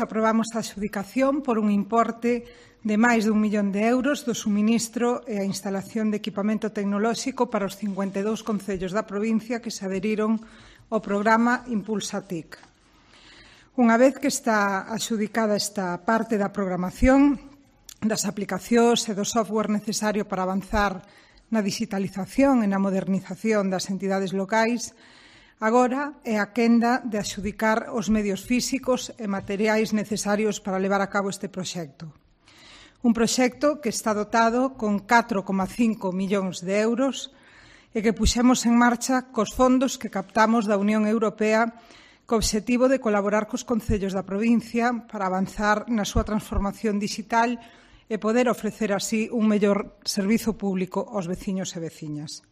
Aprobamos a adxudicación por un importe de máis de 1 millón de euros do suministro e a instalación de equipamento tecnolóxico para os 52 concellos da provincia que se adheriron ao programa Impulsa TIC. Unha vez que está adxudicada esta parte da programación, das aplicacións e do software necesario para avanzar na digitalización e na modernización das entidades locais, agora é a quenda de adxudicar os medios físicos e materiais necesarios para levar a cabo este proxecto. Un proxecto que está dotado con 4,5 millóns de euros e que puxemos en marcha cos fondos que captamos da Unión Europea co obxectivo de colaborar cos concellos da provincia para avanzar na súa transformación digital e poder ofrecer así un mellor servizo público aos veciños e veciñas.